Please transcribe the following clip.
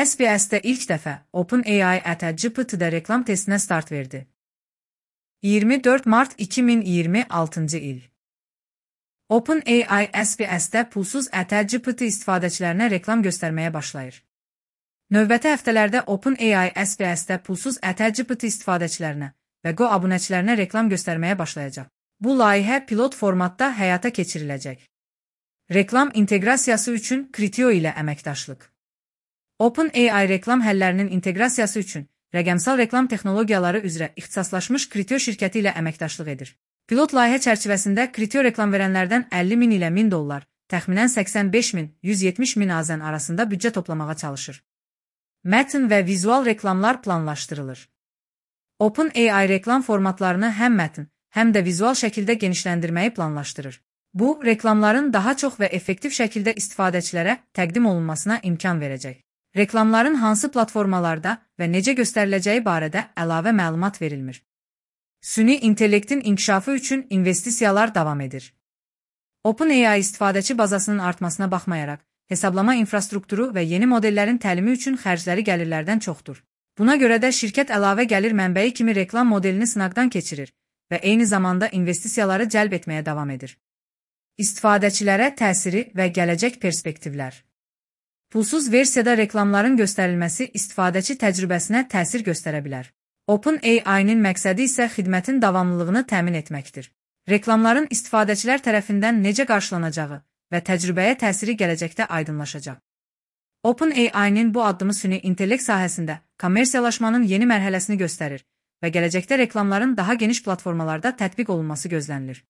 SBS-də ilk dəfə OpenAI GPT-də reklam testinə start verdi. 24 mart 2026-cı il. OpenAI SBS-də pulsuz GPT istifadəçilərinə reklam göstərməyə başlayır. Növbəti həftələrdə OpenAI SBS-də pulsuz GPT istifadəçilərinə və Go abunəçilərinə reklam göstərməyə başlayacaq. Bu layihə pilot formatda həyata keçiriləcək. Reklam inteqrasiyası üçün Criteo ilə əməkdaşlıq. OpenAI reklam həllərinin inteqrasiyası üçün rəqəmsal reklam texnologiyaları üzrə ixtisaslaşmış Criteo şirkəti ilə əməkdaşlıq edir. Pilot layihə çərçivəsində Criteo reklam verənlərdən 50 min ilə 1000 dollar, təxminən 85 min, 170 min AZN arasında büdcə toplamağa çalışır. Mətn və vizual reklamlar planlaşdırılır. OpenAI reklam formatlarını həm mətn, həm də vizual şəkildə genişləndirməyi planlaşdırır. Bu, reklamların daha çox və effektiv şəkildə istifadəçilərə təqdim olunmasına imkan verəcək. Reklamların hansı platformalarda və necə göstəriləcəyi barədə əlavə məlumat verilmir. Süni intellektin inkişafı üçün investisiyalar davam edir. OpenAI istifadəçi bazasının artmasına baxmayaraq, hesablama infrastrukturu və yeni modellərin təlimi üçün xərcləri gəlirlərdən çoxdur. Buna görə də şirkət əlavə gəlir mənbəyi kimi reklam modelini sınaqdan keçirir və eyni zamanda investisiyaları cəlb etməyə davam edir. İstifadəçilərə təsiri və gələcək perspektivlər. Pulsuz versiyada reklamların göstərilməsi istifadəçi təcrübəsinə təsir göstərə bilər. OpenAI-nin məqsədi isə xidmətin davamlılığını təmin etməkdir. Reklamların istifadəçilər tərəfindən necə qarşılanacağı və təcrübəyə təsiri gələcəkdə aydınlaşacaq. OpenAI-nin bu addımı süni intellekt sahəsində kommersiyalaşmanın yeni mərhələsini göstərir və gələcəkdə reklamların daha geniş platformalarda tətbiq olunması gözlənilir.